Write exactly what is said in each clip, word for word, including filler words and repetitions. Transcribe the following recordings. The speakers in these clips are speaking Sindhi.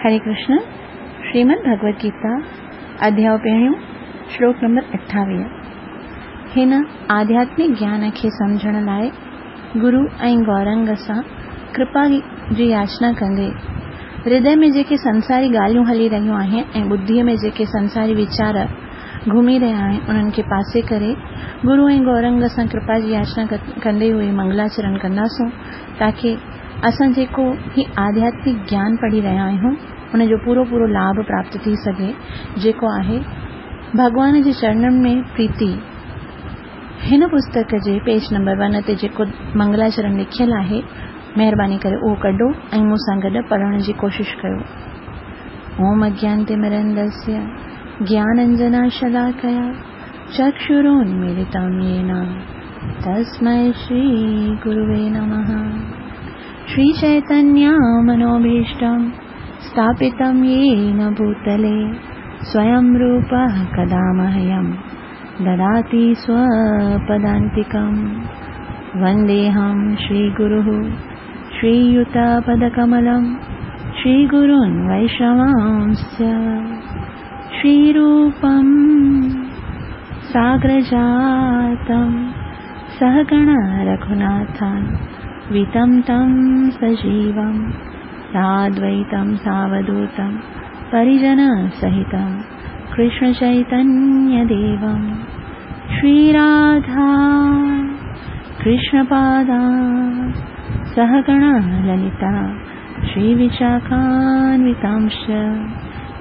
हरे कृष्ण। श्रीमद् भगवद गीता अध्याय पहिरियों श्लोक नंबर अठावीह। हिन आध्यात्मिक ज्ञान खे सम्झण लाइ गुरु ऐं गौरंग सां कृपा जी याचना कंदे हृदय में जेके संसारी ॻाल्हियूं हली रहियूं आहिनि ऐं बुद्धीअ में जेके संसारी वीचार घुमी रहिया आहिनि उन्हनि खे पासे करे गुरु ऐं गौरंग सां कृपा जी याचना कंदे हुए मंगलाचरण कंदासूं ताकी असां जेको ही आध्यात्मिक ज्ञान पढ़ी रहिया आहियूं उन जो पूरो पूरो लाभ प्राप्त थी सघे, जेको आहे भॻवान जे चरणनि में प्रीति। हिन पुस्तक जे पेज नंबर वन ते जेको मंगलाचरण लिखियल आहे, महिरबानी करे उहो कढो ऐं मूं सां गॾु पढ़ण जी कोशिशि कयो। ओम अज्ञानतिमिरन्दस्य ज्ञानाञ्जनशलाकया चक्षुरुन्मीलितं येन तस्मै श्रीगुरुवे नमः। श्रीचैतन्यमनोभीष्टं स्थापितं येन भूतले स्वयं रूपः कदा मह्यं ददाति स्वपदान्तिकं। वन्देऽहं श्रीगुरुः श्रीयुतपदकमलं श्रीगुरून् वैष्णवांश्च। श्रीरूपं साग्रजातं सहगण रघुनाथान् वितं तं सजीवं साद्वैतं सावधूतं परिजनसहितं कृष्णचैतन्यदेवं। श्रीराधा कृष्णपादा सहगण ललिता श्रीविशाखान्वितांश्च।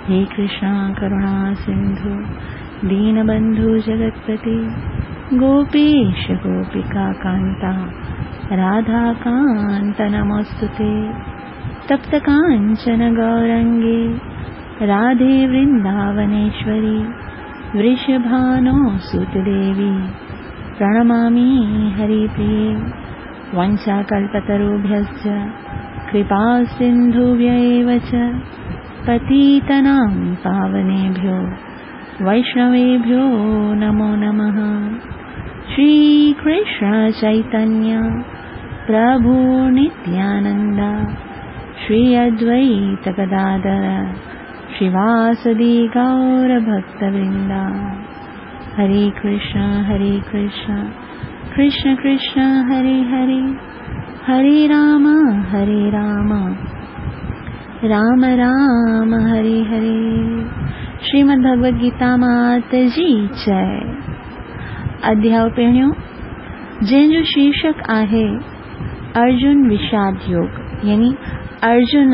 हे कृष्णा करुणा सिन्धु दीनबन्धु जगत्पति गोपेश गोपिका कान्ता राधाकान्त नमोऽस्तुते। तप्त काञ्चन गौरङ्गे राधे वृन्दावनेश्वरी वृषभानुसुतदेवी प्रणमामि हरिप्रिये। वञ्चाकल्पतरुभ्यश्च कृपा सिन्धुभ्य एव च पतितानां पावनेभ्यो वैष्णवेभ्यो नमो नमः। श्रीकृष्ण चैतन्य प्रभु नित्यानन्द श्री अद्वैत गदाधर श्रीवासदि गौरभक्तवृन्द। हरे कृष्ण हरे कृष्ण कृष्ण कृष्ण हरे हरे, हरे राम हरे राम राम राम हरे हरे। श्रीमद् भगवद गीता मात जी जय। अध्याय पहिरियों जंहिंजो शीर्षक आहे अर्जुन विषाद योग, यानी अर्जुन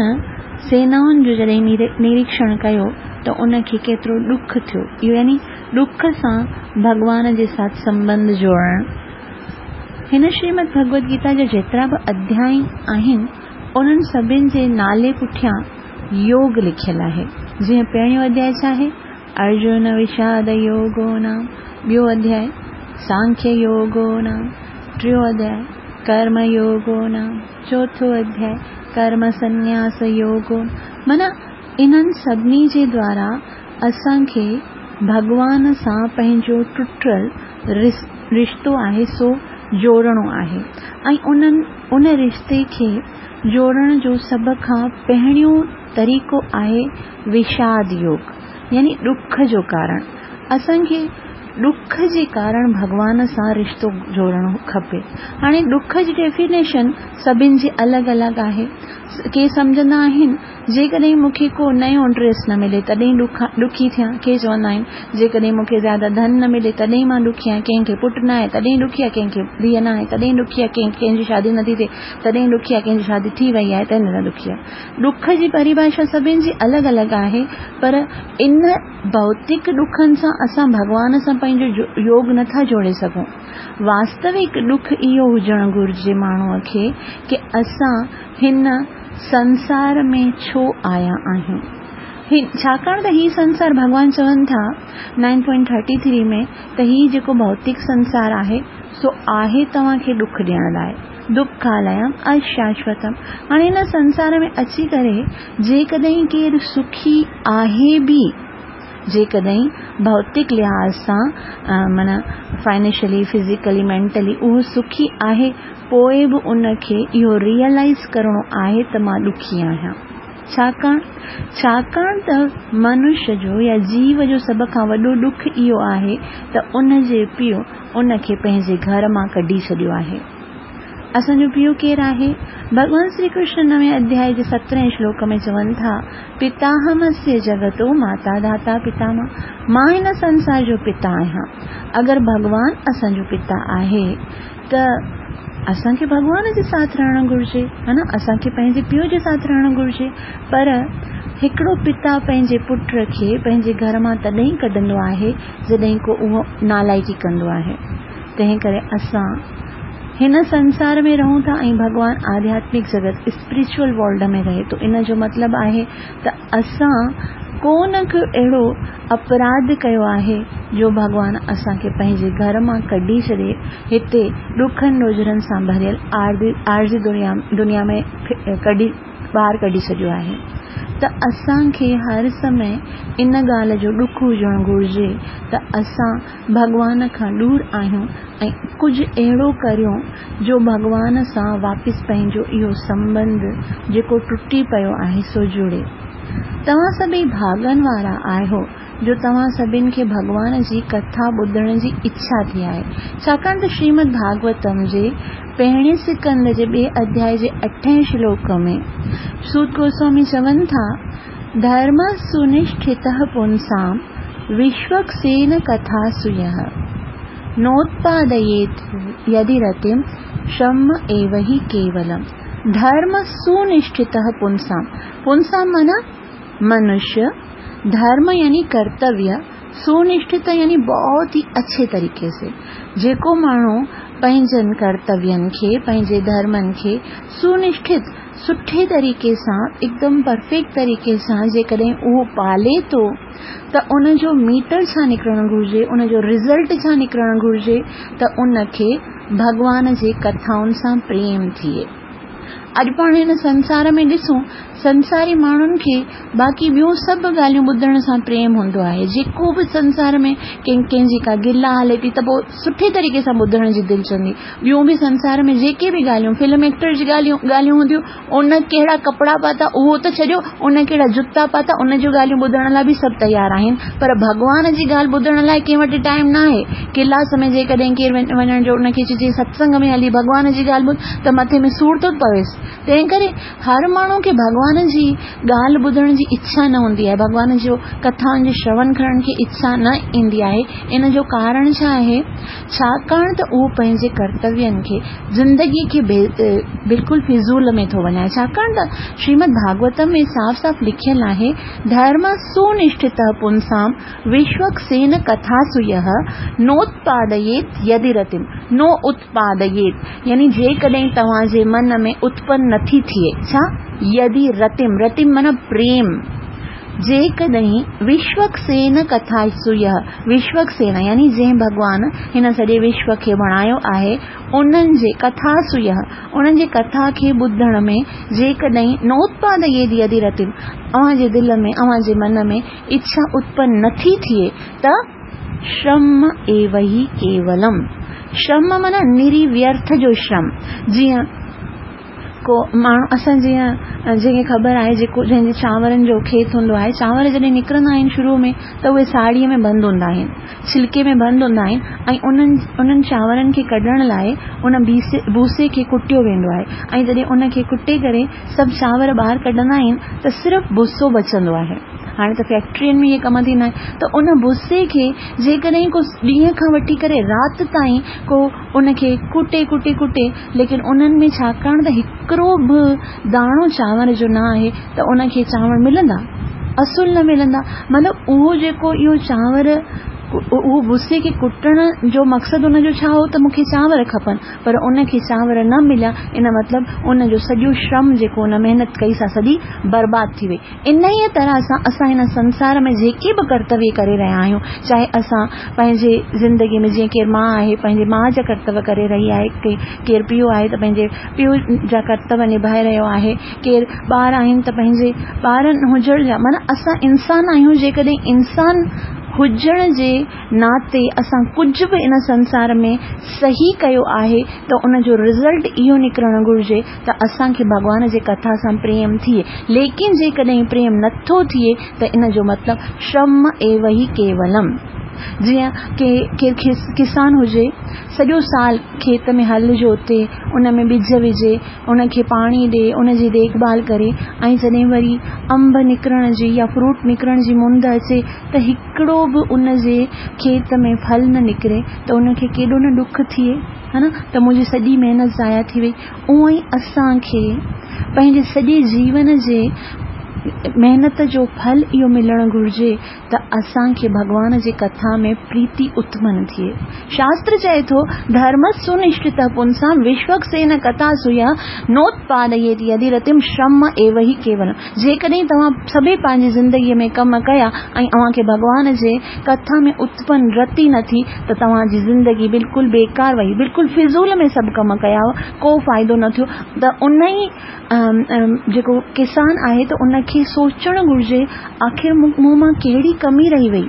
सेनाउनि जो जॾहिं निरीक्षण कयो त उनखे केतिरो ॾुख थियो, इहो यानी ॾुख सां भॻवान जे साथ संबंध जोड़ण। हिन श्रीमद् भगवद गीता जा जेतिरा बि अध्याय आहिनि उन्हनि सभिनि जे नाले पुठियां योग लिखियल आहे। जीअं पहिरियों अध्याय छा आहे? अर्जुन विषाद योगो नाम। ॿियो अध्याय सांख्य योगो नाम। टियों अध्याय कर्म योगो नाम। चोथों अध्याय कर्म संन्यास योगो। माना इन्हनि सभिनी जे द्वारा असांखे भॻवान सां पंहिंजो टुटल रिश्तो आहे सो जोड़णो आहे ऐं उन्हनि उन रिश्ते खे जोड़ण जो सभ खां पहिरियों तरीक़ो आहे विषाद योग, यानी ॾुख जो कारण। असांखे ॾुख जे कारण भॻवान सां रिश्तो जोड़णो खपे। हाणे ॾुख जी डेफिनेशन सभिनि जी अलॻि अलॻि आहे। के सम्झंदा आहिनि जेकॾहिं मूंखे को नयो ड्रेस न मिले तॾहिं ॾुखी थियां। के चवंदा आहिनि जेकॾहिं मूंखे ज़्यादा धन न मिले तॾहिं मां ॾुखी आहियां। कंहिंखे पुटु न आहे तॾहिं ॾुखी आहे, कंहिंखे धीअ न आहे तॾहिं ॾुखी आहे, कंहिं कंहिंजी शादी नथी थिए तॾहिं ॾुखी आहे, कंहिंजी शादी थी वई आहे तॾहिं ॾुखी आहे। ॾुख जी परिभाषा सभिनि जी अलॻि अलॻि आहे, पर इन भौतिक ॾुखनि सां असां भॻवान सां पंहिंजो योग नथा जोड़े सघूं। वास्तविक ॾुख इहो हुजणु घुरिजे माण्हूअ खे की असां हिन संसार में छो आया आहियूं। छाकाणि त हीउ संसार भॻवान चवनि था नाइन पॉइंट थर्टी थ्री में त हीउ जेको भौतिक संसार आहे सो आहे तव्हांखे ॾुख ॾियण लाइ। दुखालयम अशाश्वतम। हाणे हिन संसार में अची करे जेकॾहिं केरु सुखी आहे बि, जेकॾहिं भौतिक लिहाज़ सां माना फाइनेंशियली फिज़िकली मेंटली उहो सुखी आहे, पोइ बि उनखे इहो रियलाइज़ करिणो आहे त मां ॾुखी आहियां। ڇاڪاڻ ڇاڪاڻ ته منش جو يا جيو جو سڀ کان وڏو ڏک اهو آهي ته ان جي پيءُ ان کي پنهنجي گهر مان ڪڍي ڇڏيو آهي. اسان جو پيءُ ڪير آهي؟ ڀڳوان شري ڪرشن نوين اڌياءِ جي سترهين شلوڪ ۾ چون ٿا، پتاهمسيه جگتو ماتا ڌاتا پتامه. مان هن سنسار جو پتا آهيان. اگر ڀڳوان اسان جو پتا آهي ته اسان کي ڀڳوان جي ساٿ رهڻ گهرجي، ها نه؟ اسان کي پنهنجي پيءُ جي ساٿ رهڻ گهرجي. پر هڪڙو پتا پنهنجي پٽ کي پنهنجي گهر مان تڏهن ڪڍندو آهي جڏهن ڪو اهو نالائقي ڪندو آهي. تنهن ڪري اسان هن سنسار ۾ رهون ٿا ۽ ڀڳوان آڌياتمڪ جڳت اسپرچوئل ورلڊ ۾ رهي ٿو. ان جو مطلب آهي ته اسان ڪو نه ڪو اهڙو اپراڌ ڪيو آهي جو ڀڳوان اسان کي پنهنجي گهر مان ڪڍي ڇڏي هتي ڏکن ڏوجهرن سان ڀريل عارضي دنيا دنيا ۾ ڪڍي ٻاهر ڪڍي ڇڏيو آهي. ته اسان کي هر سمي ان ڳالهه جو ڏک هجڻ گهرجي ته اسان ڀڳوان کان دور آهيون ۽ ڪجهه اهڙو ڪريون جو ڀڳوان سان واپس پنهنجو اهو سنٻنڌ جيڪو ٽٽي پيو آهي سو جڙي. توهان سڀئي ڀاڳن وارا آهيو جو توهان سڀني کي ڀڳوان جي ڪٿا ٻڌڻ جي اڇا ٿي آهي. ڇاڪاڻ ته شريمد ڀاڳوتم جي پهرين سڪنڌ جي ٻئي اڌياءِ جي اٺين شلوڪ ۾ سوت گوسوامي چون ٿا، ڌرم سنشٺت پنسام وشوڪسين ڪٿا سيهه نوتپاديت يدي رتم شم ايو هي ڪيولم. ڌرم سنشٺت پنسام، پنسام معنيٰ منشيه، ڌرم يعني ڪرتويه، سنشٺت يعني بهت ئي اڇي طريقي سي. جيڪو ماڻهو پنهنجن ڪرتوين کي پنهنجي ڌرمن کي سنشٺت سٺي طريقي سان هڪدم پرفيڪٽ طريقي سان جيڪڏهن اهو پالي ٿو ته ان جو ميٽر ڇا نڪرڻ گهرجي، ان جو رزلٽ ڇا نڪرڻ گهرجي ته ان کي ڀڳوان جي ڪٿائن سان پريم ٿئي. اڄ پاڻ هن سنسار ۾ ڏسون، سنساري ماڻهن کي باقي ٻيون سڀ ڳالهيون ٻڌڻ سان پريم هوندو آهي. جيڪو به سنسار ۾ ڪنهن ڪنهن جي ڪا گلا هلي ٿي ته پوءِ سٺي طريقي سان ٻڌڻ جي دل چوندي. ٻيون به سنسار ۾ جيڪي به ڳالهيون فلم ايڪٽر جي ڳالهيون ڳالهيون هونديون، ان ڪهڙا ڪپڙا پاتا اهو ته ڇڏيو، ان ڪهڙا جوتا پاتا ان جون ڳالهيون ٻڌڻ لاءِ به سڀ تيار آهن. پر ڀڳوان جي ڳالهه ٻڌڻ لاءِ ڪنهن وٽ ٽائيم نه آهي. ڪلاس ۾ جيڪڏهن ڪير وڃڻ جو ان کي چئجي ستسنگ ۾ هلي ڀڳوان جي ڳالهه ٻڌ ته مٿي ۾ سور ٿو پويس. تنهن ڪري هر ماڻهو کي ڀڳوان جي ڳالهه ٻڌڻ جي اڇا نه هوندي آهي، ڀڳوان جو ڪٿائن جي شروڻ ڪرڻ کي اڇا نه ايندي آهي. ان جو ڪارڻ ڇا آهي؟ ڇاڪاڻ ته اهو پنهنجي ڪرتوين کي زندگي کي بلڪل فضول ۾ ٿو وڃائي. ڇاڪاڻ ته شريمد ڀاڳوتم ۾ صاف صاف لکيل آهي، ڌرم سنشٺت پنسام وشوڪسين ڪٿا سيهه نوتپاديت يدي رتم. نو اتپاديت يعني جيڪڏهن توهان جي من ۾ اتپن نٿي ٿئي، ڇا؟ يدي رتم، رتم معنيٰ پريم. جيڪڏهن وشوڪسين ڪٿا سيهه، وشوڪسين يعني جنهن ڀڳوان هن سڄي وشو کي بڻايو آهي انهن جي ڪٿا سيهه، انهن جي ڪٿا کي ٻڌڻ ۾ جيڪڏهن نوتپاديت يدي رتم اوهان جي دل ۾ اوهان جي من ۾ اڇا اتپن نٿي ٿئي ته شرم ايو هي ڪيولم. شرم معنيٰ نري ويرٿ جو شرم. جيئن ڪو ماڻهو اسان جيئن جنهن کي خبر آهي جيڪو جنهن جي چانورن جو کيت هوندو آهي، چانور جڏهن نڪرندا آهن شروع ۾ ته اهي ساڙهيءَ ۾ بند هوندا آهن، ڇلڪي ۾ بند هوندا آهن ۽ انهن انهن چانورن کي ڪڍڻ لاءِ ان بيسي ڀوسي کي ڪٽيو ويندو آهي ۽ جڏهن ان کي ڪٽي ڪري سڀ چانور ٻاهر ڪڍندا آهن ته صرف ڀوسو بچندو آهي. هاڻي ته فيڪٽرين ۾ اهي ڪم ٿيندا آهن. ته ان ڀوسي کي جيڪڏهن ڪو ڏينهن کان وٺي ڪري رات تائين ڪو ان کي ڪٽي ڪٽي ڪٽي، ليڪن انهن ۾ ڇاڪاڻ ته هڪڙو به داڻو چانور جو نه آهي ته ان کي چانور ملندا؟ اصل نه ملندا. مطلب اهو جيڪو اهو چانور اهو ڀوسي کي ڪٽڻ جو مقصد ان جو ڇا هو ته مون کي چانور کپن، پر ان کي چانور نه مليا. ان مطلب ان جو سڄو شرم جيڪو ان محنت ڪئي سا سڄي برباد ٿي وئي. ان ئي طرح سان اسان هن سنسار ۾ جيڪي به ڪرتويه ڪري رهيا آهيون، چاهي اسان پنهنجي زندگي ۾ جيئن ڪير ماءُ آهي پنهنجي ماءُ جا ڪرتويه ڪري رهي آهي، ڪير پيءُ آهي ته پنهنجي پيءُ جا ڪرتويه نڀائي رهيو آهي، ڪير ٻار آهن ته پنهنجي ٻارن هجڻ جا، معنيٰ اسان انسان آهيون. جيڪڏهن انسان هجڻ جي ناتي اسان ڪجهه به ان سنسار ۾ صحيح ڪيو آهي ته ان جو رزلٽ اهو نڪرڻ گهرجي ته اسان کي ڀڳوان جي ڪٿا سان پريم ٿئي. ليڪن جيڪڏهن پريم نٿو ٿئي ته ان جو مطلب شرم ايو هي ڪيولم. جيئن ڪي ڪير ڪسان هجي، سڄو سال کيت ۾ هل جوتي، ان ۾ ٻج وجهي، ان کي پاڻي ڏي، ان جي ديک ڀال ڪري ۽ جڏهن وري انب نڪرڻ جي يا فروٽ نڪرڻ جي مند اچي ته هڪڙو به ان جي کيت ۾ ڦل نه نڪري ته ان کي ڪيڏو نه ڏک ٿئي، ها نه، ته منهنجي سڄي محنت ضايع ٿي وئي. اونئن ئي اسان کي پنهنجي سڄي جيون جي محنت جو ڦل اهو ملڻ گهرجي ته اسان کي ڀڳوان جي ڪٿا ۾ پريتي اتپن ٿئي. شاستر چئي ٿو، ڌرم سنشٺت پنسام وشوڪسين ڪٿا سويا نوتپاديت يدي رتم شرم ايو هي ڪيولم. جيڪڏهن توهان سڀئي پنهنجي زندگيء ۾ ڪم ڪيا ۽ اوهان کي ڀڳوان جي ڪٿا ۾ اتپن رتي نه ٿي ته توهان جي زندگي بلڪل بيڪار وئي، بلڪل فضول ۾ سڀ ڪم ڪيا، ڪو فائدو نه ٿيو. ته ان ئي جيڪو ڪسان آهي ته ان کي سوچڻ گهرجي آخر مون مان ڪهڙي ڪمي رهي وئي،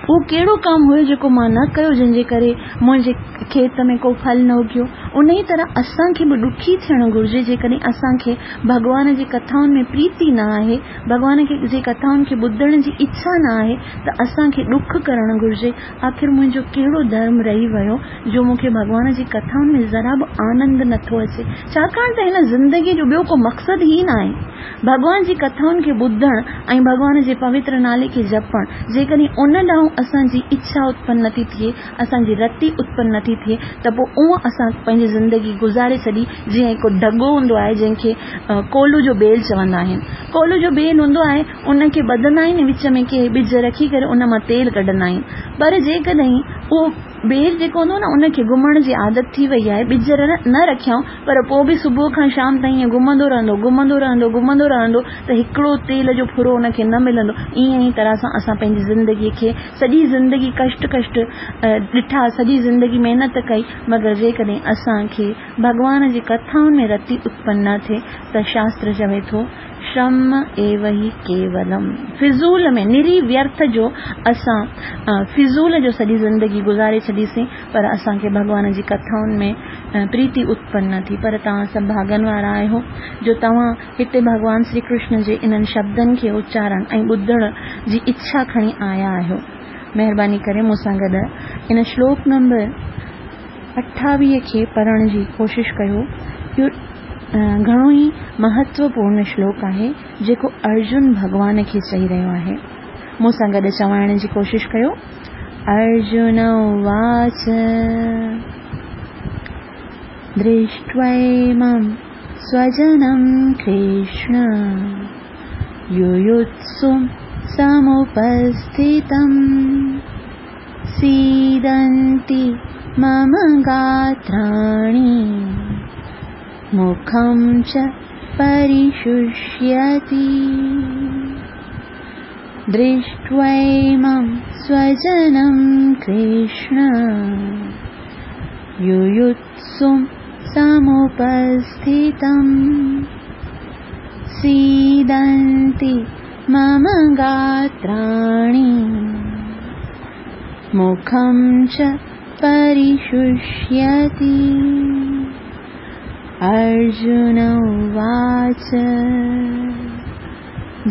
اهو ڪهڙو ڪم هيو جيڪو مان نه ڪيو جنهن جي ڪري منهنجي کيت ۾ ڪو ڦل نه اگيو. ان ئي طرح اسان کي به ڏکي ٿيڻ گهرجي جيڪڏهن اسان کي ڀڳوان جي ڪٿائن ۾ پريتي نه آهي، ڀڳوان جي ڪٿائن کي ٻڌڻ جي اڇا نه آهي ته اسان کي ڏک ڪرڻ گهرجي، آخر منهنجو ڪهڙو ڌرم رهي ويو جو مون کي ڀڳوان جي ڪٿائن ۾ ذرا به آنند نٿو اچي. ڇاڪاڻ ته هن زندگيء جو ٻيو ڪو مقصد ئي نه آهي. ڀڳوان جي ڪٿائن کي ٻڌڻ ۽ ڀڳوان جي پوتر نالي کي جپڻ، جيڪڏهن ان ڏانهن اسان جي اڇا اتپن نٿي ٿئي، اسان جي رتي اتپن نٿي ٿئي ته پوء اونء اسان پنهنجي زندگي گذاري ڇڏي. جيئن هڪ ڍڳو هوندو آهي جنهن کي ڪولو جو بيل چوندا آهن. ڪولو جو بيل هوندو آهي، ان کي ٻڌندا آهن، وچ ۾ ڪي ٻج رکي ڪري ان مان تيل ڪڍندا آهن. پر جيڪڏهن اهو بيل جيڪو هوندو نه ان کي گهمڻ جي عادت ٿي وئي آهي، ٻج نه رکيائون پر پوء به صبح کان شام تائين ائين گهمندو رهندو، گهمندو رهندو، گهمندو رهندو ته هڪڙو تيل جو ڦرو ان کي نه ملندو. ائين ئي طرح سان اسان پنهنجي زندگيء کي سڄي زندگي ڪشٽ ڪشٽ ڏٺا، سڄي زندگي محنت ڪئي، مگر جيڪڏهن اسان کي ڀڳوان جي ڪٿائن ۾ رتي اتپن نه ٿئي ته شاستر چوي ٿو شرم ايو هي ڪيولم، فضول ۾ نري ويرٿ جو اسان فضول جو سڄي زندگي گذاري ڇڏيسين پر اسان کي ڀڳوان جي ڪٿائن ۾ پريتي اتپن نه ٿي. پر توهان سڀ ڀاڳن وارا آهيو جو توهان هتي ڀڳوان شري ڪرشن جي انهن شبدن کي اچارڻ ۽ ٻڌڻ جي اڇا کڻي آيا آهيو. مهرباني ڪري مون سان گڏ ان شلوڪ نمبر اٺاويهه کي پڙهڻ جي ڪوشش ڪيو. اهو گهڻو ئي مهتوپورڻ شلوڪ آهي جيڪو ارجن ڀڳوان کي چئي رهيو آهي. مون سان گڏ چوائڻ جي ڪوشش ڪيو. ارجن اواچ درشٽويمم سوجنم ڪرشن يويتسم سمپسٿتم سيدنتي مم گاتراڻي مکم چ پريششيتي. درشٽويمم سوجنم ڪرشن يويتسم سمپسٿتم سيدنتي مم گاتراڻي مکم چ پريششيتي. ارجن اواچ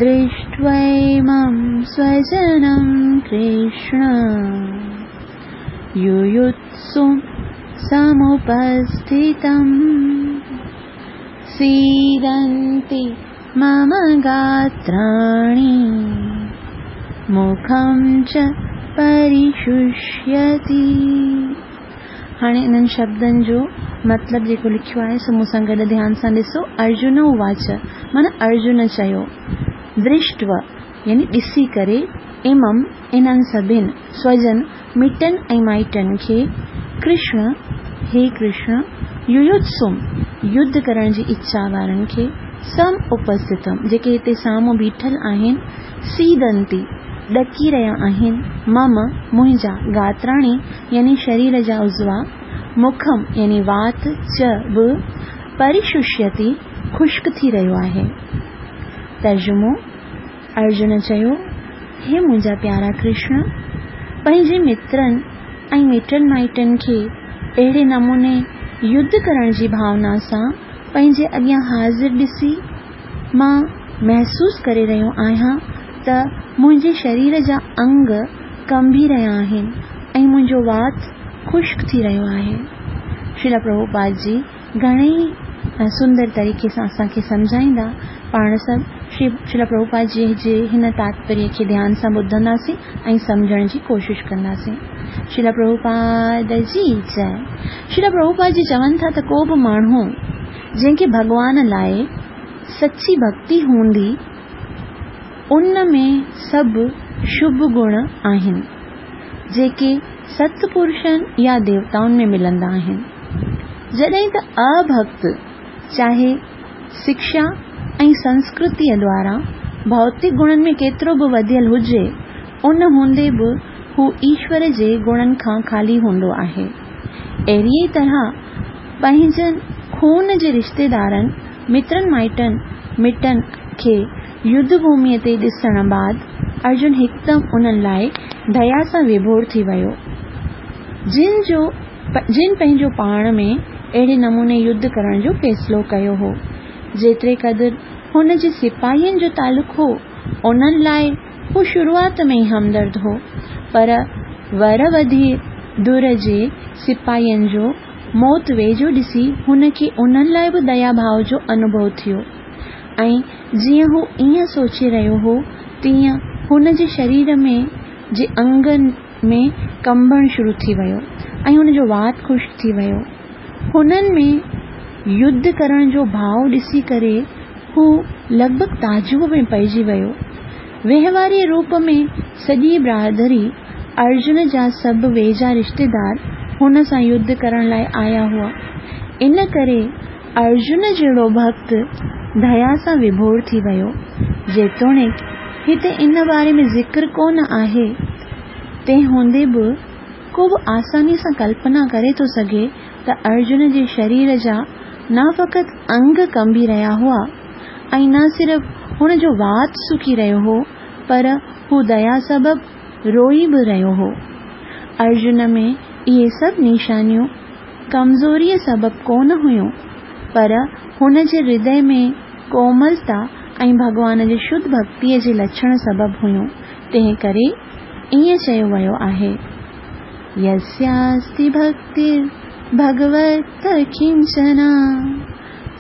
درشٽويمم سوجنم ڪرشن يويتسم سمپسٿتم سيدنتي مم گاتراڻي مکم چ پريششيتي. هاڻي انهن شبدن جو مطلب جيڪو لکيو آهي سو مون سان گڏ ڌيان سان ڏسو. ارجن اواچ معنيٰ ارجن چيو، درشٽو يعني ڏسي ڪري، امم انهن سڀن، سوجن مٽن ۽ مائٽن کي، ڪرشن هي ڪرشن، يويتسم يڌ ڪرڻ جي اڇا وارن کي، سم اپسٿتم جيڪي هتي سامهون بيٺل آهن، سيدنتي ڏڪي رهيا آهن، مم منهنجا، گاتراڻي يعني شرير جا عضوا، مکم يعني وات، چ به، پريششيتي خشڪ ٿي رهيو آهي. ترجمو، ارجن چيو، هي منهنجا پيارا ڪرشن، پنهنجي مترن ۽ مٽن مائٽن کي اهڙي نموني يڌ ڪرڻ جي ڀاونا سان پنهنجي اڳيان حاضر ڏسي مان محسوس ڪري رهيو آهيان ته منهنجي شرير جا انگ ڪنبي رهيا آهن ۽ منهنجو وات خشڪ ٿي رهيو آهي. شريل پرڀوپاد جي گهڻي ئي سندر طريقي سان اسان کي سمجهائيندا. پاڻ سڀ شري شريل پرڀوپاد جي جي هن تاتپريه کي ڌيان سان ٻڌنداسين ۽ سمجهڻ جي ڪوشش ڪنداسين. شريل پرڀوپاد جي جئي. شريل پرڀوپاد جي چون ٿا ته ڪو به ماڻهو جنهن کي ڀڳوان لاءِ سچي ڀڪتي هوندي ان ۾ سڀ شڀ گڻ آهن جيڪي ستپرشن يا ديوتائن ۾ ملندا آهن. جڏهن ته اڀڪت چاهي شڪشا ۽ سنسڪرتيءَ دوارا ڀوتڪ گڻن ۾ ڪيترو به وڌيل هجي ان هوندي به هو ايشور جي گڻن کان خالي هوندو آهي. اهڙيءَ طرح پنهنجن خون جي رشتيدارن، مترن مائٽن، مٽن کي يڌ ڀوميءَ تي ڏسڻ بعد ارجن هڪدم انهن لاءِ ديا سان وڀور ٿي ويو، جن جو جن پنهنجو پاڻ ۾ اهڙي نموني يڌ ڪرڻ جو فيصلو ڪيو هو. جيتري قدر هن جي سپاهين جو تعلق هو، انهن لاءِ هو شروعات ۾ ئي همدرد هو، پر ور وڌي ڌر جي سپاهين جو موت ويجهو ڏسي هن کي انهن لاءِ به ديا ڀاو جو انڀو ٿيو ۽ جيئن هو ائين سوچي رهيو هو تيئن هن جي شرير ۾ جي انگن ۾ ڪنبڻ شروع ٿي ويو ۽ هن جو وات خشڪ ٿي ويو. هنن ۾ يڌ ڪرڻ جو ڀاو ڏسي ڪري هو لڳ ڀڳ تعجب ۾ پئجي ويو. وهنواري روپ ۾ سڄي برادري ارجن جا سڀ ويجها رشتيدار هن سان يڌ ڪرڻ لاءِ آيا هئا. ان ڪري ارجن جهڙو ڀڪت ديا سان وڀور ٿي ويو. جيتوڻيڪ هتي ان باري ۾ ذڪر ڪونه آهي، تنهن هوندي به ڪو به آساني سان ڪلپنا ڪري ٿو سگهي ته ارجن جي شرير جا نه فقط انگ ڪنبي رهيا هئا ۽ نه صرف هن جو وات سڪي رهيو هو، پر هو ديا سبب روئي به رهيو هو. ارجن ۾ اهي سڀ نشانيون ڪمزوريءَ سبب ڪونه هيون، پر هن جي هردي ۾ ڪوملتا ۽ ڀڳوان جي شڌ ڀڪتيءَ جي لڇڻ سبب هيون. تنهن ڪري ائين چيو ويو آهي، يسياستي ڀڪتر ڀڳوت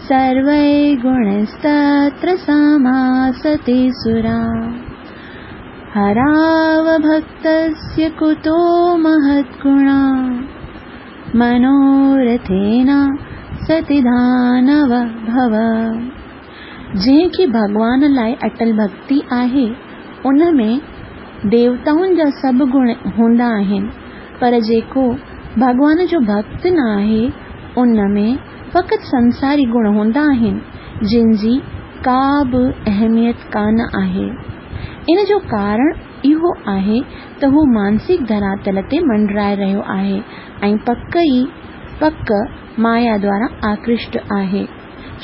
سروي گڻستत्र समासते सुरा हराव भक्तस्य कुतो महद्गुणा मनोरथेन सतिदानव भव। जंहिंखे भॻवान लाइ अटल भक्ति आहे उन में देवताउनि जा सभु गुण हूंदा आहिनि, पर जेको भॻवान जो भक्त न आहे उन में फ़क़ति संसारी गुण हूंदा आहिनि जिन जी का बि अहमियत कान आहे। इन जो कारण इहो आहे त हू मानसिक धरातल ते मंडराए रहियो आहे ऐं पक ई पक माया द्वारा आकृष्ट आहे।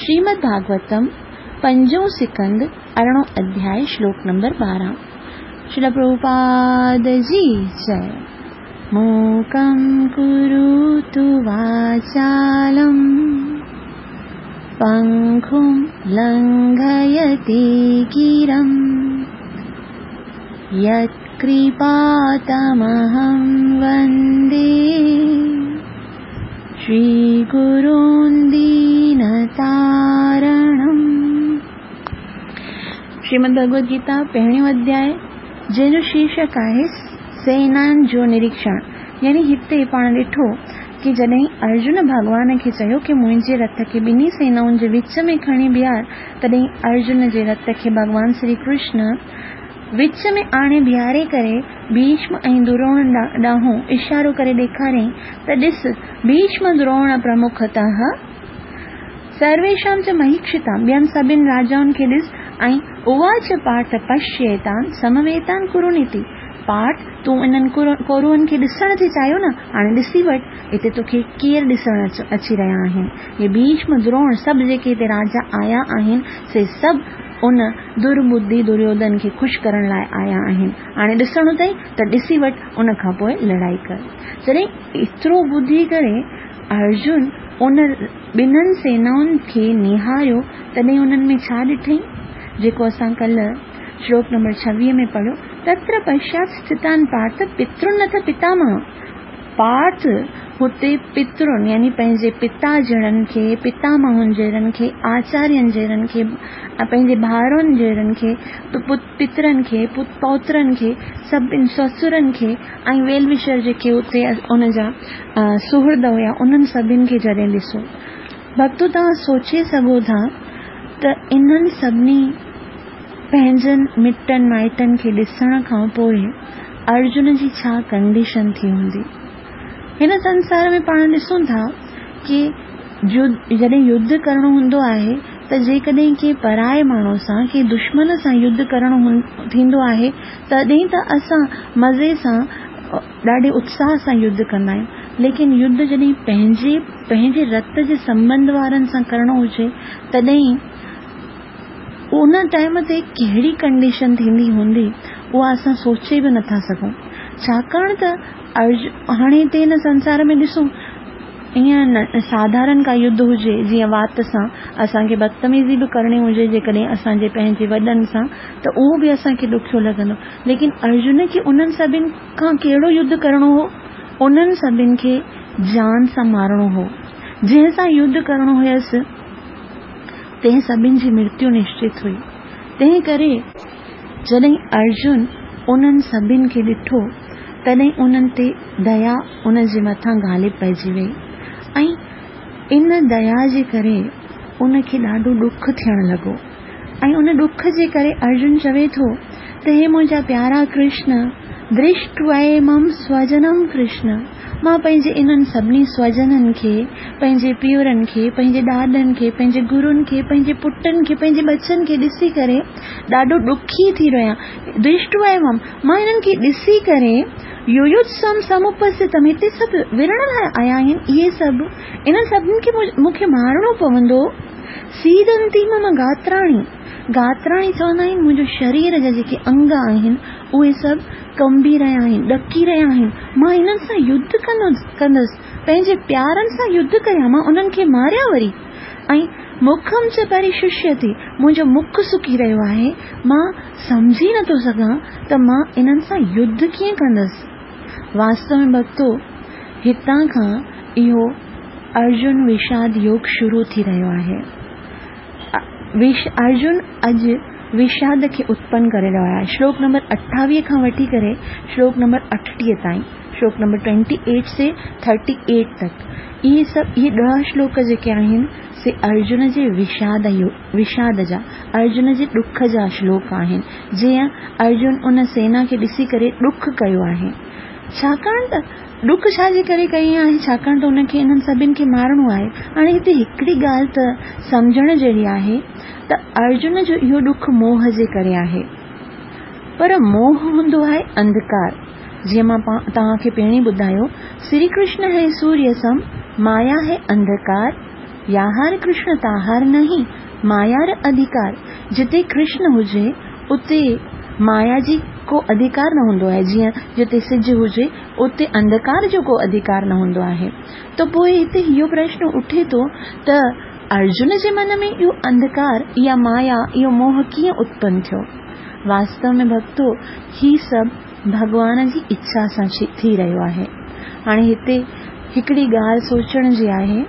श्रीमद् भागवतम पंजों स्कंद अरिड़हों अध्याय श्लोक नंबर ॿारहं। श्रील प्रभुपाद जी जय। मूकं कुरुतु वाचालं पङ्गुं लङ्घयते गिरं यत्कृपातमहं वन्दे श्रीगुरून् दीनतारणम्। श्रीमद् भगवद गीता पहिरियों अध्याय जंहिंजो शीर्षक आहे सेनानि जो निरीक्षण। यानी हिते पाण ॾिठो की जॾहिं अर्जुन भॻवान खे चयो की मुंहिंजे रथ खे ॿिन्ही सेनाउनि जे विच में खणी बीहार, तॾहिं अर्जुन जे रथ खे भॻवान श्री कृष्ण विच में आणे बीहारे करे भीष्म ऐं द्रोण ॾांहुं इशारो करे ॾेखारियईं त ॾिस भीष्म द्रोण प्रमुखतः सर्वेषां च महीक्षितां, ॿियनि सभिनी राजाउनि खे ॾिस ऐं उवाच पार्थ पश्येतान् समवेतान् कुरुनिति। पार्थ तूं इन्हनि कौरवनि खे ॾिसण थी चाहियो न, हाणे ॾिसी वठि हिते तोखे केरु ॾिसण अची रहिया आहिनि। इहे भीष्म द्रोण सभु जेके हिते राजा आया आहिनि से सभु ان درٻڌي دريوڌن کي خوش ڪرڻ لاء آيا آهن. هاڻي ڏسڻو اٿئي ته ڏسي وٺ، ان کان پوء لڙائي ڪر. جڏهن ايترو ٻڌي ڪري ارجن ان ٻنهن سينائن کي نهاريو، تڏهن انهن ۾ ڇا ڏٺئي؟ جيڪو اسان ڪلهه شلوڪ نمبر ڇويهه ۾ پڙهيو، تتر پشيات اسٿتان پارٿ پترن اٿ پتامهه. پارٿ هتي پترن يعني پنهنجي پتا جهڙن کي، پتامهن جهڙن کي، آچارين جهڙن کي، پنهنجي ڀائرن جهڙن کي، پترن کي، پوترن کي، سڀني سسرن کي ۽ ويل وشر جيڪي اتي ان جا سهرد هيا، انهن سڀني کي جڏهن ڏسو. ڀڳتو، توهان سوچي سگهو ٿا ته انهن سڀني پنهنجن مٽن مائٽن کي ڏسڻ کان پوءِ ارجن جي ڇا ڪنڊيشن ٿي هوندي؟ هن سنسار ۾ پاڻ ڏسون ٿا ڪه جڏهن يڌ ڪرڻو هوندو آهي ته جيڪڏهن ڪنهن پرائي ماڻهو سان، ڪنهن دشمن سان يڌ ڪرڻو ٿيندو آهي، تڏهن ته اسان مزي سان ڏاڍي اتساهه سان يڌ ڪندا آهيون. ليڪن يڌ جڏهن پنهنجي پنهنجي رت جي سنٻنڌ وارن سان ڪرڻو هجي، تڏهن ان ٽائيم تي ڪهڙي ڪنڊيشن ٿيندي هوندي، اها اسان سوچي به نٿا سگهون. ڇاڪاڻ ته هاڻي هتي هن سنسار ۾ ڏسون، ائين ساڌارڻ ڪا يڌ هجي، جيئن وات سان اسان کي بدتميزي به ڪرڻي هجي جيڪڏهن اسان جي پنهنجي وڏن سان، ته اهو به اسان کي ڏکيو لڳندو. ليڪن ارجن کي انهن سڀني کان ڪهڙو يڌ ڪرڻو هو؟ انهن سڀني کي جان سان مارڻو هو. جنهن سان يڌ ڪرڻو هيس، تنهن سڀني جي مرتيو نشچت هئي. تنهن ڪري جڏهن ارجن انهن سڀني کي ڏٺو، تڏهن انهن تي ديا ان جي مٿان غالب پئجي وئي ۽ ان ديا جي ڪري ان کي ڏاڍو ڏک ٿيڻ لڳو. ۽ ان ڏک جي ڪري ارجن چوي ٿو ته هي منهنجا پيارا ڪرشن، درشٽوائمم سوجنم ڪرشن، مان پنهنجي انهن سڀني سوجنن کي، پنهنجي پيئرن کي، پنهنجي ڏاڏن کي، پنهنجي گرن کي، پنهنجي پٽن کي، پنهنجي ٻچن کي ڏسي ڪري ڏاڍو ڏکي ٿي رهيو آهيان. درشٽوائمم، مان انهن کي ڏسي ڪري، يويوتسم سمپسٿتم، هتي سڀ وڙهڻ لاءِ آيا آهن، اهي سڀ انهن سڀني کي مون کي مارڻو پوندو. سيدنتي مم گاتراڻي، گاتراڻي چوندا آهن منهنجو شرير جا جيڪي انگ آهن اهي سڀ ڪنبي رهيا آهن، ڏڪي رهيا آهن. مان انهن سان يڌ ڪندس، پنهنجي پيارن سان يڌ ڪريان، مان انهن کي ماريان وري. ۽ مکم چ پرششيتي، منهنجو مک سڪي رهيو آهي، مان سمجهي نٿو سگهان ته مان انهن سان يڌ ڪيئن ڪندس. واستو ۾ ڀڳتو، هتان کان اهو ارجن وشاد يوگ شروع ٿي رهيو آهي. ارجن اڄ وشاد کي اتپن ڪري رهيو آهي. شلوڪ نمبر اٺاويهه کان وٺي ڪري شلوڪ نمبر اٺٽيهه تائين، شلوڪ نمبر ٽوئنٽي ايٽ سي ٿرٽي ايٽ تڪ، اهي سڀ اهي ڏهه شلوڪ جيڪي آهن سي ارجن جي وشاد وشاد جا، ارجن جي ڏک جا شلوڪ آهن. جيئن ارجن ان سينا کي ڏسي ڪري ڏک ڪيو آهي. ڇاڪاڻ ته ڏک ڇا جي ڪري ڪئي آهي؟ ڇاڪاڻ ته ان کي انهن سڀني کي مارڻو آهي. هاڻي هتي هڪڙي ڳالهه ته سمجهڻ جهڙي آهي ته ارجن جو اهو ڏک موهه جي ڪري آهي، پر موهه هوندو آهي انڌڪار. جيئن مان توهان کي پهرين ٻڌايو، شري ڪرشن هي سوريه سم، مايا هي انڌڪار، ياهار ڪرشن تاهار نهين، مايار اڌڪار. جتي ڪرشن هجي اتي مايا جي ڪو اڌڪار نه هوندو آهي. جيئن جتي سج هجي اتي انڌڪار جو ڪو اڌڪار نه هوندو آهي. ته پوءِ هتي اهو پرشن اٿي ٿو ته ارجن جي من ۾ اهو انڌڪار، اها مايا، اهو موهه ڪيئن اتپن ٿيو؟ واستو ۾ ڀڳتو، هي سڀ ڀڳوان جي اڇا سان ٿي رهيو آهي. هاڻي هتي هڪڙي ڳالهه سوچڻ جي آهي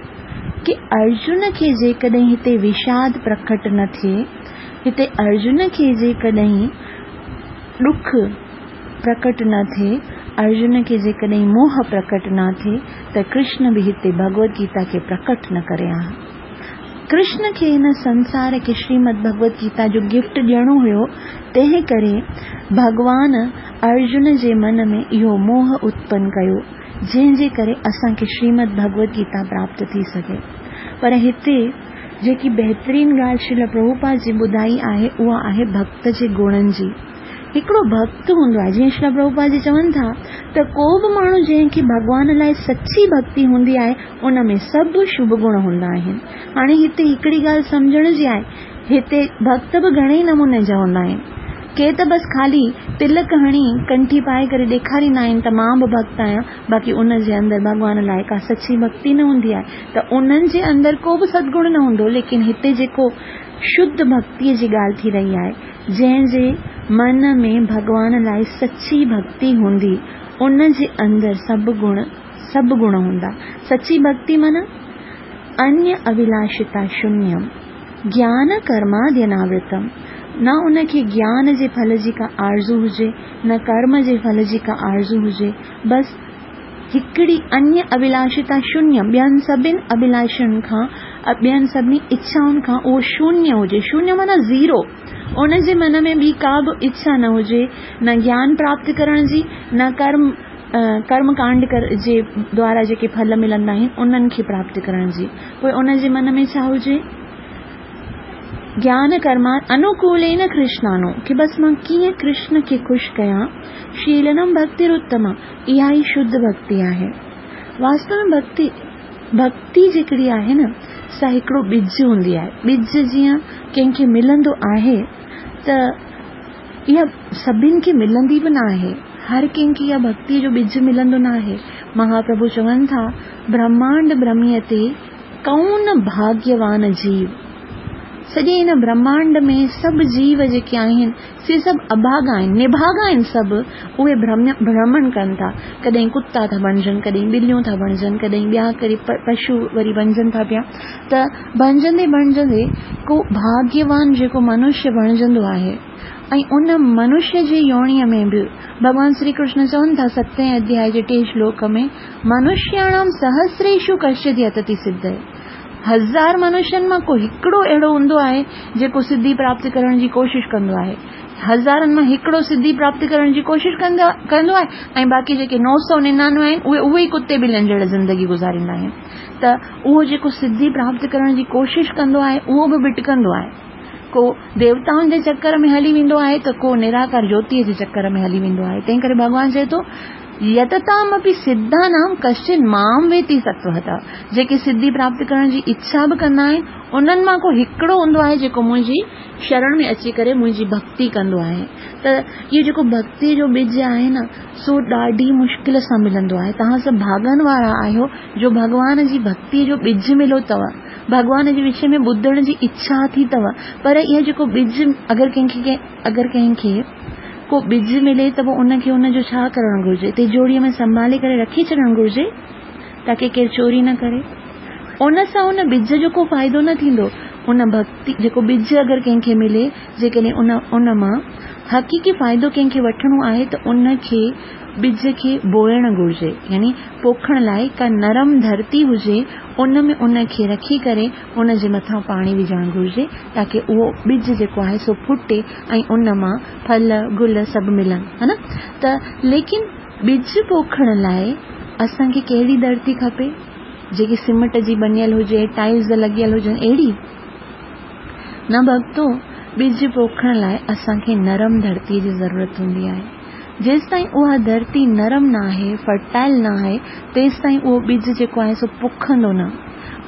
ڪه ارجن کي جيڪڏهن هتي وشاد پرڪٽ نه ٿئي، هتي ارجن کي جيڪڏهن ڏک پرڪٽ نه ٿئي، ارجن کي جيڪڏهن موهه پرڪٽ نه ٿئي، ته ڪرشن به هتي ڀڳوت گيتا کي پرڪٽ نه ڪري ها. ڪرشن کي هن سنسار کي شريمد ڀڳوت گيتا جو گفٽ ڏيڻو هيو، تنهن ڪري ڀڳوان ارجن جي من ۾ اهو موهه اتپن ڪيو، جنهن جي ڪري اسان کي شريمد ڀڳوت گيتا پراپت ٿي سگهي. پر هتي جيڪي بهترين ڳالهه شريل پرڀوپاد جي ٻڌائي آهي، اها آهي ڀڳت جي گڻن جي. هڪڙو ڀڳت هوندو آهي، جيئن شريل پرڀوپاد جي چون ٿا ته ڪو به ماڻهو جنهن کي ڀڳوان لاءِ سچي ڀڳتي هوندي آهي، ان ۾ سڀ شڀ گڻ هوندا آهن. هاڻي هتي هڪڙي ڳالهه سمجهڻ جي آهي، هتي ڀڳت به گهڻي ئي نموني جا هوندا آهن. ڪي ته بس خالي تلڪ هڻي ڪنٺي پائي ڪري ڏيکاريندا آهن ته مان به ڀڳت آهيان، باقي ان جي اندر ڀڳوان لاءِ ڪا سچي ڀڳتي نه هوندي آهي، ته انهن جي اندر ڪو به سدگڻ نه هوندو. ليڪن هتي جيڪو شڌ ڀڳتيءَ جي ڳالهه ٿي رهي آهي، جنهن جي من ۾ ڀڳوان لاءِ سچي ڀڳتي هوندي، ان جي اندر سڀ گڻ سڀ گڻ هوندا. سچي ڀڳتي معنيٰ انيه اڀلاشتا شونيم گيان ڪرماديناورتم، نه ان کي گيان جي ڦل جي ڪا آرزو هجي، نه ڪرم جي ڦل جي ڪا آرزو هجي، بس هڪڙي انيه اڀلاشتا شونيه، ٻين سڀني اڀلاشن کان، ٻين سڀني اڇائن کان اهو شونيه هجي. شونيه معنيٰ زيرو، ان جي من ۾ ٻي ڪا به اڇا نه هجي، نه گيان پراپت ڪرڻ جي، نه ڪرم ڪرم ڪانڊ جي دوارا جيڪي ڦل ملندا آهن انهن کي پراپت ڪرڻ جي. پوءِ ان جي من ۾ ڇا هجي؟ گيان ڪرما انوڪولين ڪرشنانو، ڪه بس مان ڪيئن ڪرشن کي خوش ڪيان. شيلنم ڀڳتيراتما، اها ئي شڌ ڀڳتي آهي. واستو ۾ ڀڳتي ڀڳتي جيڪڙي آهي نه، سا هڪڙو ٻج هوندي آهي. ٻج جيئن ڪنهن کي ملندو آهي ته اها سڀني کي ملندي به نه آهي، هر ڪنهن کي اها ڀڳتيءَ جو ٻج ملندو نه آهي. مهاپرڀو چون ٿا، برهمانڊ برهميءَ تي ڪون ڀاگيوان جيو. سڄي هن برهمانڊ ۾ سڀ جيو جيڪي آهن سي سڀ اڀاڳا آهن، نڀاڳا آهن سڀ. اهي ڀرمڻ ڪن ٿا، ڪڏهن ڪتا ٿا بڻجن، ڪڏهن ٻليون ٿا بڻجن، ڪڏهن ٻيا ڪري پشو وري بڻجن ٿا پيا. ته بڻجندي بڻجندي ڪو ڀاگيوان جيڪو منشيه بڻجندو آهي، ۽ ان منشيه جي يونيءَ ۾ به ڀڳوان شري ڪرشن چون ٿا ستين اڌياءِ جي ٽي شلوڪ ۾، منشياڻام سهسريشو ڪشچت يتتي سڌي. هزار منشين مان ڪو هڪڙو اهڙو هوندو آهي جيڪو سڌي پراپت ڪرڻ جي ڪوشش ڪندو آهي. هزارن مان هڪڙو سڌي پراپت ڪرڻ جي ڪوشش ڪندو ڪندو آهي، ۽ باقي جيڪي نو سؤ ننانوي آهن اهي اهي ئي ڪتي ٻلين جهڙا زندگي گذاريندا آهن. ته اهو جيڪو سڌي پراپت ڪرڻ جي ڪوشش ڪندو آهي اهو به ڀٽڪندو آهي. ڪو ديوتائن جي چڪر ۾ هلي ويندو آهي ته ڪو نراڪار جيوتيءَ جي چڪر ۾ هلي ويندو آهي. تنهن ڪري ڀڳوان چئي ٿو، يتتامپي سڌانام ڪشچن مام ويتي ستوتا. جيڪي سڌي پراپت ڪرڻ جي اڇا به ڪندا آهن انهن مان ڪو هڪڙو هوندو آهي جيڪو منهنجي شرڻ ۾ اچي ڪري منهنجي ڀڳتي ڪندو آهي. ته اهو جيڪو ڀڳتيءَ جو ٻج آهي نه، سو ڏاڍي مشڪل سان ملندو آهي. توهان سڀ ڀاڳن وارا آهيو جو ڀڳوان جي ڀڳتيءَ جو ٻج مليو اٿو، ڀڳوان جي وشي ۾ ٻڌڻ جي اڇا ٿي اٿو. پر اهو جيڪو ٻج اگر ڪنهن کي اگر ڪنهن کي ڪو ٻج ملي ته پوءِ ان کي ان جو ڇا ڪرڻ گهرجي؟ تجوڙيءَ ۾ سنڀالي ڪري رکي ڇڏڻ گهرجي تاڪه ڪير چوري نه ڪري. ان سان ان ٻج جو ڪو فائدو نه ٿيندو. ان ڀڳتي جيڪو ٻج اگر ڪنهن کي ملي، جيڪڏهن ان ان مان حقيقي فائدو ڪنهن کي وٺڻو آهي ته ان کي ٻج کي بوئڻ گهرجي، يعني پوکڻ لاءِ ڪا نرم ڌرتي هجي، ان ۾ ان کي رکي ڪري ان جي مٿان پاڻي وجهڻ گهرجي تاڪه اهو ٻج جيڪو آهي سو ڦٽي ۽ ان مان ڦل گل سڀ ملن، ها نه؟ ته ليڪن ٻج پوکڻ لاءِ اسان کي ڪهڙي ڌرتي کپي؟ جيڪي سيمينٽ جي بڻيل هجي، ٽائلز لڳيل هجن، اهڙي نه ڀڳتو. ٻج پوکڻ لاءِ اسان کي نرم ڌرتيءَ جي ضرورت هوندي آهي. جيستائين اها ڌرتي نرم نه آهي، فرٽائل نه آهي، تيستائين اهو ٻج جيڪو آهي سو پکندو نه.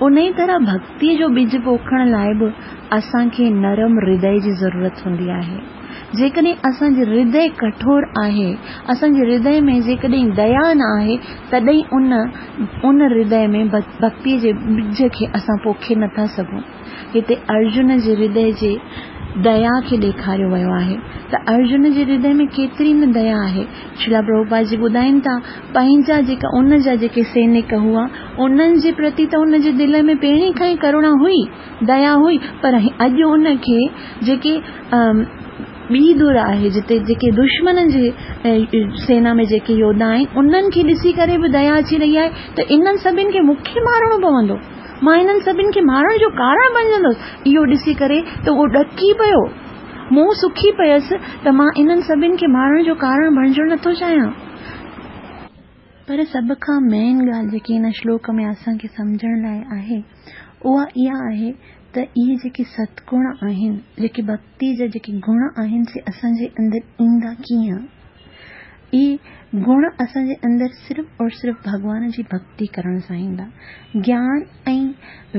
ان ئي طرح ڀڳتيءَ جو ٻج پوکڻ لاءِ به اسان کي نرم هردي جي ضرورت هوندي آهي. جيڪڏهن اسان جي هردي ڪٺور آهي، اسان جي هردي ۾ جيڪڏهن ديا نه آهي، تڏهن ان ان هردي ۾ ڀڳتيءَ جي ٻج کي اسان پوکي نٿا سگهون. هتي ارجن جي هردي جي ديا کي ڏيکاريو ويو آهي ته ارجن جي هردي ۾ ڪيتري نه ديا آهي. شريلا پرڀوپاد جي ٻڌائين ٿا، پنهنجا جيڪا ان جا جيڪي سينڪ هئا انهن جي پرتي ته ان جي دل ۾ پهرين کان ئي ڪروڻا هئي، ديا هئي، پر اڄ ان کي جيڪي ٻي ڌر آهي، جتي جيڪي دشمنن جي سينا ۾ جيڪي يوڌا آهن انهن کي ڏسي ڪري به ديا اچي رهي آهي ته انهن سڀني کي مون کي مارڻو پوندو، مان انهن سڀني کي مارڻ جو ڪارڻ بڻجندس. اهو ڏسي ڪري ته اهو ڏڪي پيو، مون سکي پيس ته مان انهن سڀني کي مارڻ جو ڪارڻ بڻجڻ نٿو چاهيان. پر سڀ کان مين ڳالهه جيڪي هن شلوڪ ۾ اسان کي سمجهڻ لاءِ آهي اها اها آهي ته اهي جيڪي ستگڻ آهن، جيڪي ڀڳتي جا جيڪي گڻ آهن، سي اسان جي اندر ايندا ڪيئن؟ اهي گڻ اسان جي اندر صرف اور صرف ڀڳوان جي ڀڳتي ڪرڻ سان ايندا. گيان ۽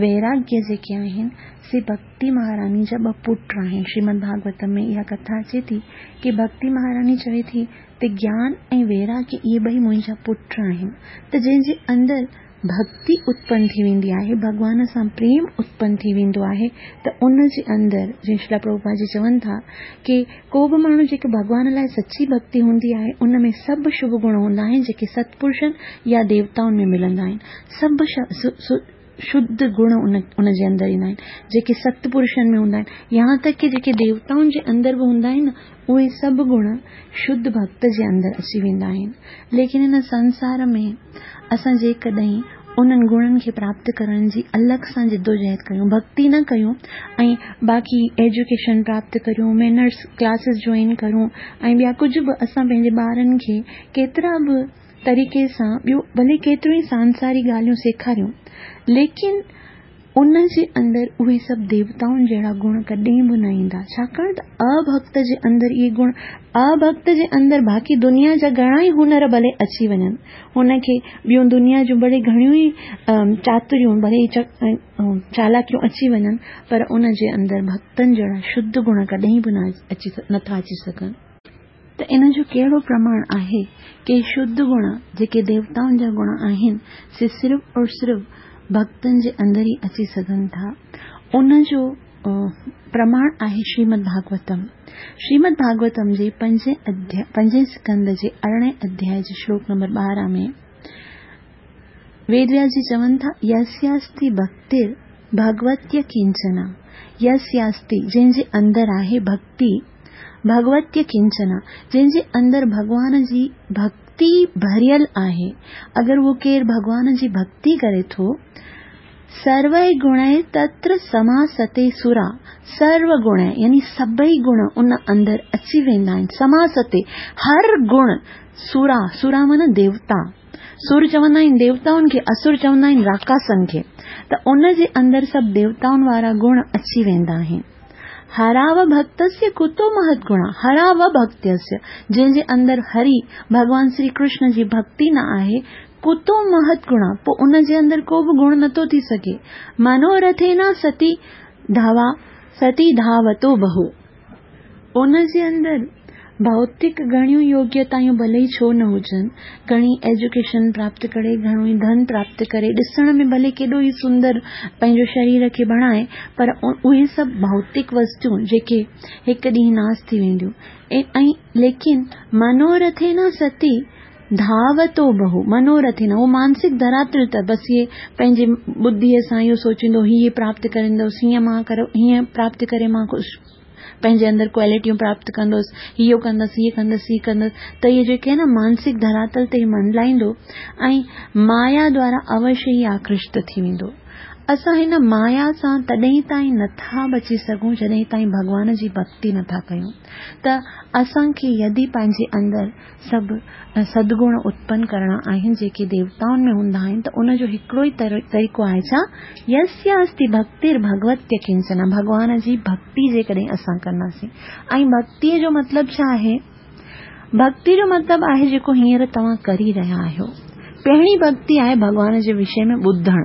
ويراگيه جيڪي آهن سي ڀڳتي مهاراڻي جا ٻه پٽ آهن. شريمد ڀاڳوتم ۾ اها ڪٿا اچي ٿي ڪه ڀڳتي مهاراڻي چوي ٿي ته گيان ۽ ويراگيه اهي ٻئي منهنجا پٽ آهن. ته جنهن جي اندر ڀڳتي اتپن ٿي ويندي آهي، ڀڳوان سان پريم اتپن ٿي ويندو آهي، ته ان جي اندر جيئن شريلا پرڀوپاد جي چون ٿا ڪه ڪو به ماڻهو جيڪي ڀڳوان لاءِ سچي ڀڳتي هوندي آهي ان ۾ سڀ شڀ گڻ هوندا آهن جيڪي ستپرشن يا ديوتائن ۾ ملندا آهن. سڀ شڌ گڻ ان ان جي اندر ايندا آهن جيڪي ستپرشن ۾ هوندا آهن، يهان تڪ ڪه جيڪي ديوتائن جي اندر به هوندا آهن اهي سڀ گڻ شڌ ڀڳت جي اندر اچي ويندا آهن. ليڪن هن سنسار ۾ اسان جيڪڏهن انهن گڻن کي پراپت ڪرڻ جي الڳ سان جدوجهد ڪيون، ڀڳتي نه ڪيون ۽ باقي ايجوڪيشن پراپت ڪريون، مينرس ڪلاسز جوائن ڪريون ۽ ٻيا ڪجهه به اسان پنهنجي ٻارن کي ڪيترا به طريقي سان ٻيو ڀلي ڪيتريون ئي سانساري ڳالهيون سيکاريون، ليڪن ان جي اندر اهي سڀ ديوتائن جهڙا گڻ ڪڏهن به نه ايندا. ڇاڪاڻ ته اڀڳت جي اندر اهي گڻ، اڀڳت جي اندر باقي دنيا جا گهڻا ئي هنر ڀلي اچي وڃن، هن کي ٻيون دنيا جون ڀلي گهڻيون ئي چاتريون ڀلي چالاڪيون اچي وڃن، پر ان جي اندر ڀڳتن جهڙا شڌ گڻ ڪڏهن به نه اچي نٿا اچي سگهن. ته ان جو ڪهڙو پرماڻ آهي ڪه شڌ گڻ جيڪي ديوتائن جا گڻ آهن سي صرف اور صرف ڀڳتن جي اندر ئي اچي سگهن ٿا؟ ان جو پرماڻ آهي شريمد ڀاڳوتم. شريمد ڀاڳوتم جي پنجين اڌياء پنجين اسڪنڌ جي ارڙهين اڌياء جي شلوڪ نمبر ٻارهن ۾ ويد وياس جي چون ٿا، يسياستي ڀڪتر ڀڳوتيه ڪنچنا. يسياستي جنهن جي اندر آهي ڀڳتي، ڀڳوتيه ڪنچنا جنهن جي اندر ڀڳوان جي ڀڳتي ڀريل آهي. اگر اهو ڪير ڀڳوان جي ڀڳتي ڪري ٿو، سروي گڻي تتر سماستي سرا، سرو گڻ يعني سڀئي گڻ ان اندر اچي ويندا آهن. سماستي هر گڻ، سرا سرا معنيٰ ديوتا، سر چوندا آهن ديوتائن کي، اسر چوندا آهن راڪاسن کي، ته ان جي اندر سڀ ديوتائن وارا گڻ اچي ويندا آهن. هراو ڀڳتسيه ڪتو مهت گڻا، هراو ڀڳتسيه جنهن جي اندر هري ڀڳوان شري ڪرشن جي ڀڳتي نه آهي، ڪتو مهت گڻا پوءِ ان جي اندر ڪو به گڻ نٿو ٿي سگهي. منورٿينا ستي ڌاوا ستي ڌاوتو بهو، ان جي اندر ڀوتڪ گهڻيون يوگيتايون ڀلي ئي ڇو نه هجن، گهڻي ايجوڪيشن پراپت ڪري، گهڻو ئي ڌن پراپت ڪري، ڏسڻ ۾ ڀلي ڪيڏو ئي سندر پنهنجو شرير کي بڻائي، پر اهي سڀ ڀوتڪ وستون جيڪي هڪ ڏينهن ناس ٿي وينديون. ۽ ليڪن منورٿينا ستي ڌاوتو بهو، منورٿينا اهو مانسڪ ڌراتل ته بس اهي پنهنجي ٻڌيءَ سان اهو سوچيندو هيءَ پراپت ڪريندس، هيئن مان ڪرو، هيئن پراپت ڪري مان خوش پنهنجي اندر ڪوالٽيون پراپت ڪندس، اهو ڪندس، هيءَ ڪندس، هيءَ ڪندس، ته اهي جيڪي آهي نه مانسڪ ڌراتل تي ئي منڊلائيندو ۽ مايا دوارا اوشيه ئي آڪرشت ٿي ويندو. اسان هن مايا سان تڏهن تائين نٿا بچي سگهون جڏهن تائين ڀڳوان جي ڀڳتي نٿا ڪيون. ته اسان کي يدي پنهنجي اندر سڀ سدگڻ اتپن ڪرڻا آهن جيڪي ديوتائن ۾ هوندا آهن، ته ان جو هڪڙو ئي طريقو آهي ڇا؟ يسياستي ڀڪتر ڀڳوتيه ڪنچنا، ڀڳوان جي ڀڳتي جيڪڏهن اسان ڪنداسين. ۽ ڀڳتيءَ جو مطلب ڇا آهي؟ ڀڳتي جو مطلب آهي جيڪو هينئر توهان ڪري رهيا آهيو. پهرين ڀڳتي آهي ڀڳوان جي وشي ۾ ٻڌڻ.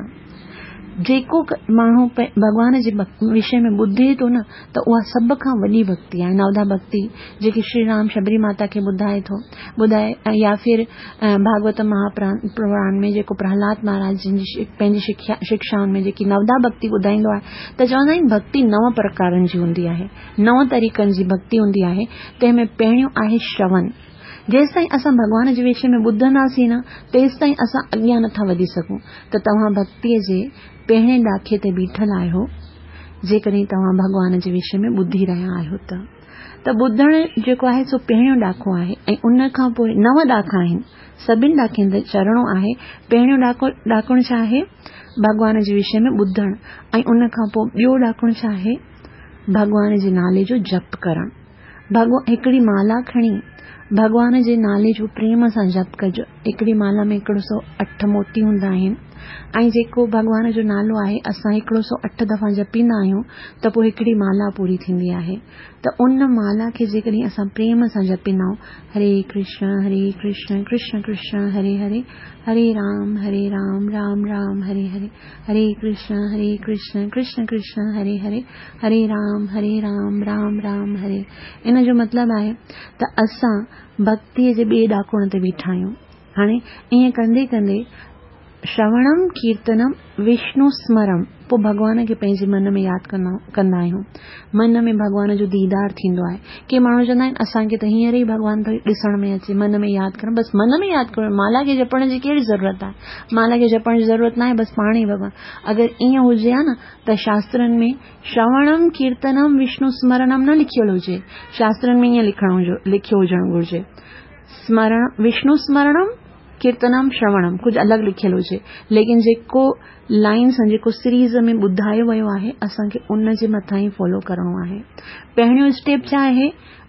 جيڪو ماڻهو ڀڳوان جي وشي ۾ ٻڌي ٿو نه، ته اها سڀ کان وڏي ڀڳتي آهي. نوڌا ڀڳتي جيڪي شري رام شبري ماتا کي ٻڌائي ٿو ٻڌائي، يا ڦر ڀاڳوت مهاپراڻ ۾ جيڪو پرهلاد مهاراج جن جي پنهنجي شڪشائن ۾ جيڪي نوڌا ڀڳتي ٻڌائيندو آهي، ته چوندا آهن ڀڳتي نو پرڪارن جي هوندي آهي، نو طريقن جي ڀڳتي هوندي آهي. تنهن ۾ پهريون آهي شرون. جيستائين اسان ڀڳوان جي وشي ۾ ٻڌنداسين نه، تيستائين اسان اڳيان نٿا وڌي سگهون. ته توهان ڀڳتيءَ جي پهرين ڏاکي تي بيٺل آهيو جيڪڏهن توهان ڀڳوان جي وشي ۾ ٻڌي رهيا آهيو ته. ته ٻڌڻ جيڪو آهي سو پهريون ڏاکو آهي ۽ ان کان پوءِ نو ڏاکا آهن، سڀني ڏاکن تي چڙهڻو آهي. پهريون ڏاکو ڏاڪڻ ڇا آهي؟ ڀڳوان جي وشي ۾ ٻڌڻ. ۽ ان کان پوءِ ٻيو ڏاڪڻ ڇا آهي؟ ڀڳوان جي نالي جو جپ ڪرڻ. ڀڳوان هڪڙي مالا کڻي ڀڳوان جي نالي جو پريم سان جپ ڪجو. هڪڙي مالا ۾ هڪڙو سؤ اٺ موتي هوندا آهن. ۽ جيڪو ڀڳوان جو نالو آهي اسان هڪڙو سؤ اٺ دفعا جپيندا آهيون ته پوء هڪڙي مالا پوري ٿيندي آهي ته ان مالا کي جيڪڏهن اسان پريم سان جپيندا آهيون هري ڪرشن هري ڪرشن ڪرشن ڪرشن هري هري هري رام هري رام رام رام هري هري هري ڪرشن هري ڪرشن ڪرشن ڪرشن هري هري هري رام هري رام رام رام هري. ان جو مطلب آهي ته اسان ڀڳتيء جي ٻئي ڏاڪڻ تي بيٺا آهيون. هاڻي ائين ڪندي ڪندي شروڻم ڪيرتنم وشنو سمرم پوءِ ڀڳوان کي پنهنجي من ۾ ياد ڪندا ڪندا آهيون. من ۾ ڀڳوان جو ديدار ٿيندو آهي. ڪي ماڻهو چوندا آهن اسان کي ته هينئر ئي ڀڳوان ٿو ڏسڻ ۾ اچي، من ۾ ياد ڪرڻ، بس من ۾ ياد ڪرڻ، مالا کي جپڻ جي ڪهڙي ضرورت آهي؟ مالا کي جپڻ جي ضرورت ناهي، بس پاڻ ئي ڀڳوان. اگر ائين هجي ها نه ته شاسترن ۾ شروڻم ڪيرتنم وشنو سمرنم نه لکيل هجي. شاسترن ۾ ائين لکڻ لکيو هجڻ گهرجي، سمرڻ وشنو سمرڻم ڪيرتنم شروڻم، ڪجهه الڳ لکيل هجي. ليڪن جيڪو لائن سان جيڪو سيريز ۾ ٻڌايو ويو آهي اسان کي ان جي مٿان ئي فالو ڪرڻو آهي. پهريون اسٽيپ ڇا آهي؟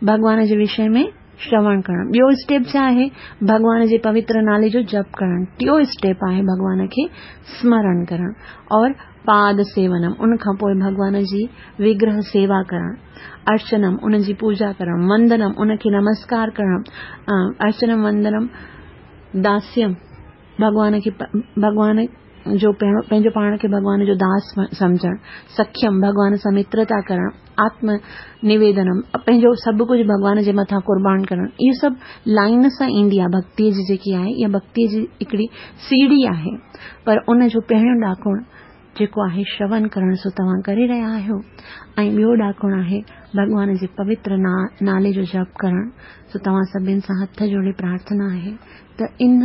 ڀڳوان جي وشي ۾ شروڻ ڪرڻ. ٻيو اسٽيپ ڇا آهي؟ ڀڳوان جي پوتر نالي جو جپ ڪرڻ. ٽيون اسٽيپ آهي ڀڳوان کي سمرڻ ڪرڻ اور پاد سيونم، ان کان پوءِ ڀڳوان جي وگرهه سيوا ڪرڻ، ارچنم ان جي پوڄا ڪرڻ، وندنم ان کي نمسڪار ڪرڻ، ارچنم وندنم داسيم ڀڳوان کي ڀڳوان جو پنهنجو پاڻ کي ڀڳوان جو داس سمجهڻ، سکيم ڀڳوان سان مترتا ڪرڻ، آتم نويدنم پنهنجو سڀ ڪجهه ڀڳوان جي مٿان قربان ڪرڻ. اهو سڀ لائن سان ايندي آهي. ڀڳتيءَ جي جيڪي آهي اها ڀڳتيءَ جي هڪڙي سيڙهي آهي. پر ان جو پهريون ڏاڪڻ جيڪو آهي شروڻ ڪرڻ، سو توهان ڪري رهيا آهيو. ۽ ٻيو ڏاڪڻ آهي ڀڳوان جي پوتر نالي جو جپ ڪرڻ. سو توهان سڀني سان هٿ جوڙي پرارٿنا آهي ته ان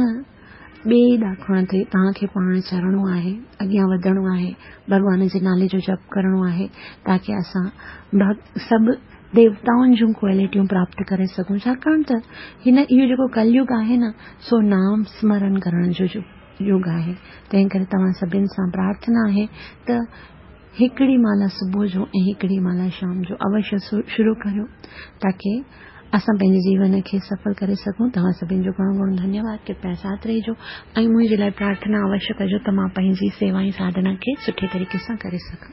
ٻئي ڏاڪڻ تي توهان کي پاڻ چڙهڻو آهي، اڳيان وڌڻو آهي، ڀڳوان جي نالي جو جپ ڪرڻو آهي، تاڪه اسان سڀ ديوتائن جون ڪوالٽيون پراپت ڪري سگهون. ڇاڪاڻ ته هن اهو جيڪو ڪليگ آهي نه سو نام سمرن ڪرڻ جو يگ آهي. تنهن ڪري توهان سڀني سان پرارٿنا آهي ته هڪڙي مالا صبح جو ۽ هڪڙي مالا شام جو اوشيه شروع ڪريو، تاڪه اسان پنهنجي جيون کي سڦل ڪري سگهون. توهان سڀني جو گهڻو گهڻو ڌنيواد. ڪرپيا ساٿ رهجو ۽ منهنجي لاءِ پرارٿنا اوشيه ڪجو ته مان پنهنجي سيوا ۽ ساڌنا کي سٺي طريقي سان ڪري سگهان.